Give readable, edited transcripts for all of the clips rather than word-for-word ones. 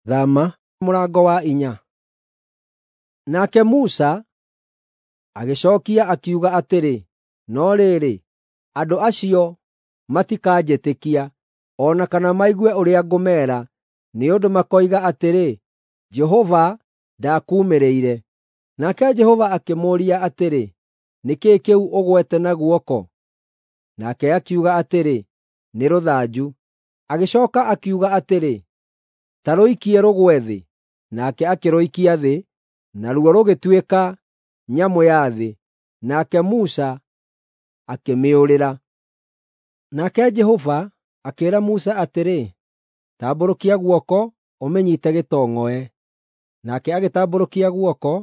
Thama mũrango wa 4. Nake Musa agĩcookia akiuga atĩrĩ, “No rĩrĩ, andũ acio matikanjĩtĩkia, o na kana maigue ũrĩa ngũmeera, nĩ ũndũ makoiga atĩrĩ, ‘Jehova ndaakuumĩrĩire.’ ” Nake Jehova akĩmũũria atĩrĩ, “Nĩ kĩĩ kĩu ũgwete na guoko?” Nake akiuga atĩrĩ, “Nĩ rũthanju.” Agĩcooka akiuga atĩrĩ, “Ta rũikie rũgwe thĩ.” Nake akĩrũikia thĩ, naruo rũgĩtuĩka nyamũ ya thĩ, nake Musa akĩmĩũrĩra. Nake Jehova akĩĩra Musa atĩrĩ, “Tambũrũkia guoko ũmĩnyiite gĩtong'oe.” Nake agĩtambũrũkia guoko,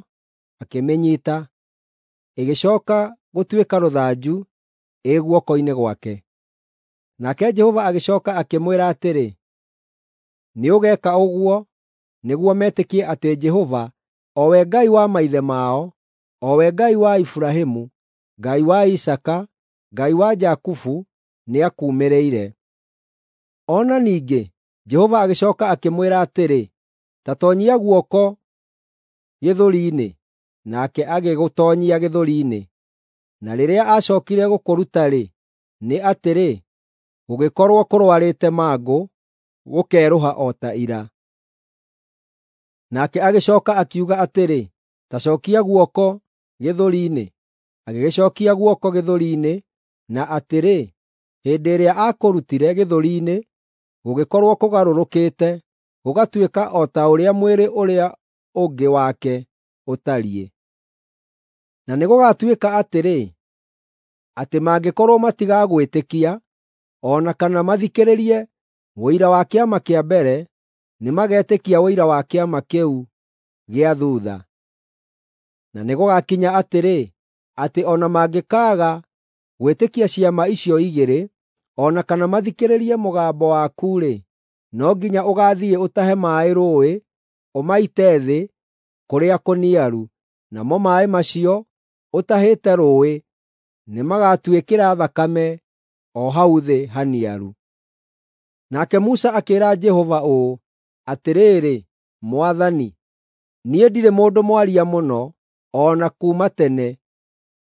akĩmĩnyiita, ĩgĩcooka gũtuĩka rũthanju ĩ guoko-inĩ gwake. Nake Jehova agĩcooka akĩmwĩra atĩrĩ, “Nĩũgeeka ũguo nĩguo metĩkie atĩ Jehova, o we Ngai wa maithe mao, o we Ngai wa Iburahĩmu, Ngai wa Isaaka, Ngai wa Jakubu, nĩakuumĩrĩire.” O na ningĩ Jehova agĩcooka akĩmwĩra atĩrĩ, “Ta toonyia guoko gĩthũri-inĩ.” Nake agĩgũtoonyia gĩthũri-inĩ, na rĩrĩa aacookire gũkũruta-rĩ, nĩ atĩrĩ, gũgĩkorwo kũrũarĩte mangũ, gũkerũha o ta ira. Nake agĩcooka akiuga atĩrĩ, “Ta cookia guoko gĩthũri-inĩ.” Agĩgĩcookia guoko gĩthũri-inĩ, na atĩrĩ, hĩndĩ ĩrĩa aakũrutire gĩthũri-inĩ, gũgĩkorwo kũgarũrũkĩte, gũgatuĩka o ta ũrĩa mwĩrĩ ũrĩa ũngĩ wake ũtariĩ. Na nĩgũgatuĩka atĩrĩ, atĩ mangĩkorwo matigagwĩtĩkia, o na kana mathikĩrĩrie ũira wa kĩama kĩa mbere, nĩmagetĩkia ũira wa kĩama kĩu gĩa thuutha. Na nĩgũgakinya atĩrĩ, atĩ o na mangĩkaaga gwĩtĩkia ciama icio igĩrĩ, o na kana mathikĩrĩrie mũgambo waku-rĩ, no nginya ũgaathiĩ ũtahe maaĩ rũũĩ, ũmaite thĩ kũrĩa kũniaru, namo maaĩ macio ũtahĩte rũũĩ nĩmagatuĩkĩra thakame o hau thĩ haniaru. Nake Musa akĩĩra Jehova ũũ, “Atĩrĩrĩ, Mwathani, niĩ ndirĩ mũndũ mwaria mũno, o na kuuma tene,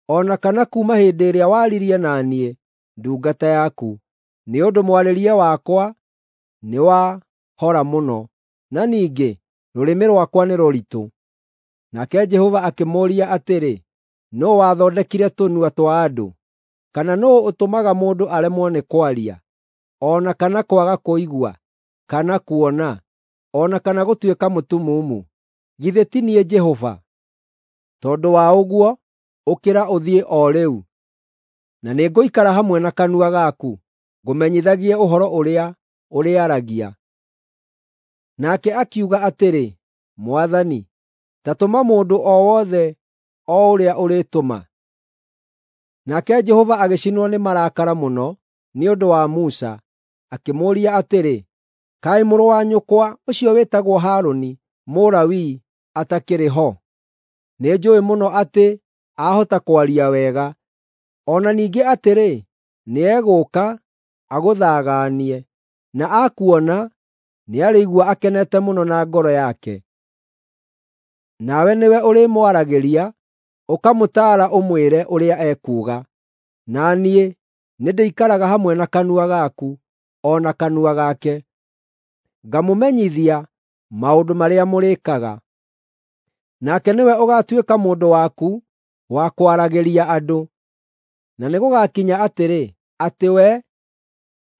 o na kana kuuma hĩndĩ ĩrĩa waririe na niĩ, ndungata yaku, nĩ ũndũ mwarĩrie wakwa nĩ wa hora mũno, na ningĩ rũrĩmĩ rwakwa nĩ rũritũ.” Nake Jehova akĩmũũria atĩrĩ, “Nũũ wathondekire tũnua twa andũ? Kana nũũ ũtũmaga mũndũ aremwo nĩ kwaria, o na kana kwaga kũigua, kana kuona, o na kana gũtuĩka mũtumumu? Githĩ ti niĩ Jehova? Tondũ wa ũguo, ũkĩra ũthiĩ o rĩu, na nĩngũikara hamwe na kanua gaku, ngũmenyithagie ũhoro ũrĩa ũrĩaragia.” Nake akiuga atĩrĩ, “Mwathani, ta tũma mũndũ o wothe o ũrĩa ũrĩtũma.” Nake Jehova agĩcinwo nĩ marakara mũno nĩ ũndũ wa Musa, akĩmũũria atĩrĩ, “Kaĩ mũrũ wa nyũkwa ũcio wĩtagwo Harũni, Mũlawii, atakĩrĩ ho? Nĩnjũũĩ mũno atĩ ahota kwaria wega. O na ningĩ atĩrĩ, nĩegũũka agũthagaanie, na akuona nĩarĩigua akenete mũno na ngoro yake. Nawe nĩwe ũrĩmwaragĩria, ũkamũtaara ũmwĩre ũrĩa ekuuga. Na niĩ nĩndĩikaraga hamwe na kanua gaku, o na kanua gake, ngamũmenyithia maũndũ marĩa mũrĩĩkaga. Nake nĩwe ũgaatuĩka mũndũ waku wa kwaragĩria andũ. Na nĩgũgakinya atĩrĩ, atĩ we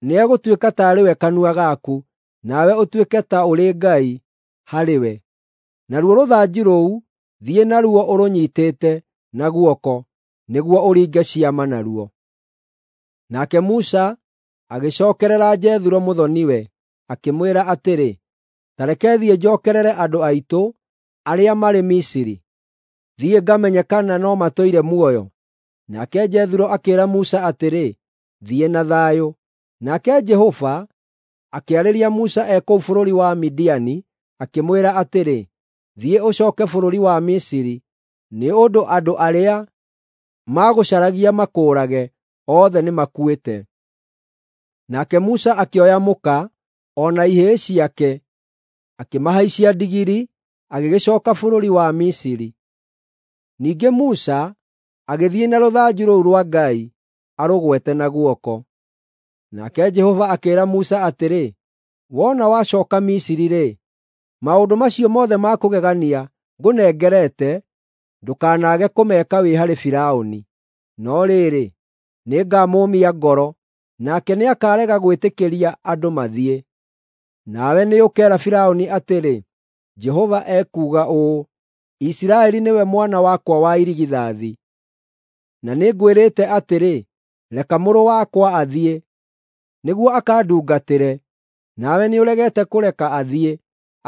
nĩegũtuĩka taarĩ we kanua gaku, nawe ũtuĩke ta ũrĩ Ngai harĩ we. Naruo rũthanju rũu thiĩ naruo ũrũnyiitĩte na guoko, nĩguo ũringe ciama naruo.” Nake Musa agĩcookerera Jethuro mũthoni-we, akĩmwĩra atĩrĩ, “Ta reke thiĩ njookerere andũ aitũ arĩa marĩ Misiri, thiĩ ngamenye kana no matũire muoyo.” Nake Jethuro akĩĩra Musa atĩrĩ, “Thiĩ na thayũ.” Nake Jehova akĩarĩria Musa e kũu bũrũri wa Midiani, akĩmwĩra atĩrĩ, “Thiĩ ũcooke bũrũri wa Misiri, nĩ ũndũ andũ arĩa maagũcaragia makũũrage othe nĩmakuĩte.” Nake Musa akĩoya mũka o na ihĩĩ ciake akĩmahaicia ndigiri, agĩgĩcooka bũrũri wa Misiri. Ningĩ Musa agĩthiĩ na rũthanju rũu rwa Ngai arũgwete na guoko. Nake Jehova akĩĩra Musa atĩrĩ, “Wona wacooka Misiri-rĩ, maũndũ macio mothe ma kũgegania ngũnengerete ndũkanaage kũmeka wĩ harĩ Firaũni. No rĩrĩ, nĩngamũmia ngoro, nake nĩakarega gwĩtĩkĩria andũ mathiĩ. Nawe nĩũkeera Firaũni atĩrĩ, ‘Jehova ekuuga ũũ: Isiraeli nĩwe mwana wakwa wa irigithathi. Na nĩngwĩrĩte atĩrĩ, “Reka mũrũ wakwa athiĩ, nĩguo akandungatĩre,” nawe nĩũregete kũreka athiĩ.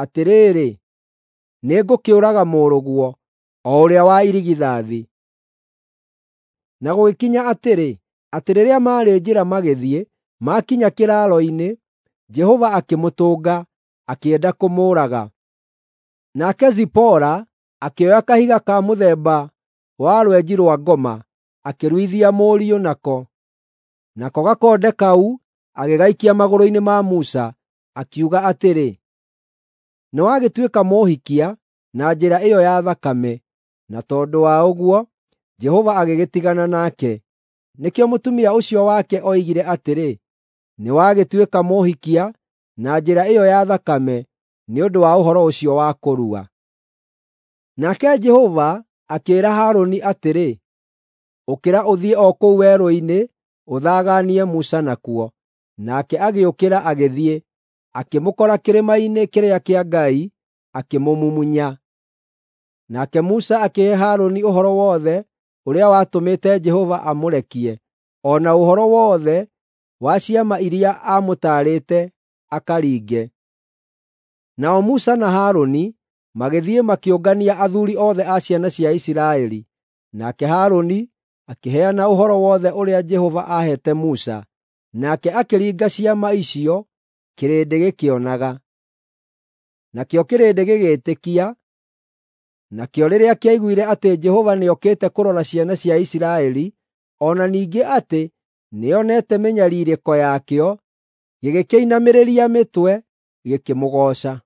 Atĩrĩrĩ, nĩngũkĩũraga mũrũguo, o ũrĩa wa irigithathi.” Na gũgĩkinya atĩrĩ, atĩ rĩrĩa maarĩ njĩra magĩthiĩ, maakinya kĩraaro-inĩ, Jehova akĩmũtũnga, akĩenda kũmũũraga. Nake Zipora akĩoya kahiga ka mũthemba wa rwenji rwa ngoma, akĩruithia mũriũ nako. Nako gakonde kau agĩgaikia magũrũ-inĩ ma Musa, akiuga atĩrĩ, “Nĩwagĩtuĩka mũũhikia na njĩra ĩyo ya thakame.” Na tondũ wa ũguo, Jehova agĩgĩtigana nake. Nĩkĩo mũtumia ũcio wake oigire atĩrĩ, “Nĩwagĩtuĩka mũũhikia na njĩra ĩyo ya thakame nĩ ũndũ wa ũhoro ũcio wa kũrua.” Nake Jehova akĩĩra Harũni atĩrĩ, “Ũkĩra ũthiĩ o kũu werũ-inĩ ũthaganie Musa nakuo.” Nake agĩũkĩra agĩthiĩ, akĩmũkora kĩrĩma-inĩ kĩrĩa kĩa Ngai, akĩmũmumunya. Nake Musa akĩhe Harũni ũhoro wothe ũrĩa watũmĩte Jehova amũrekie, o na ũhoro wothe wa ciama iria aamũtaarĩte akaringe. Nao Musa na Harũni magĩthiĩ makĩũngania athuuri othe a ciana cia Isiraeli, nake Harũni akĩheana ũhoro wothe ũrĩa Jehova aaheete Musa, nake akĩringa ciama icio kĩrĩndĩ gĩkĩonaga. Nakĩo kĩrĩndĩ gĩgĩĩtĩkia, nakĩo rĩrĩa kĩaiguire atĩ Jehova nĩokĩte kũrora ciana cia Isiraeli, o na ningĩ atĩ nĩonete mĩnyariirĩko yakĩo, gĩgĩkĩinamĩrĩria mĩtwe, gĩkĩmũgooca.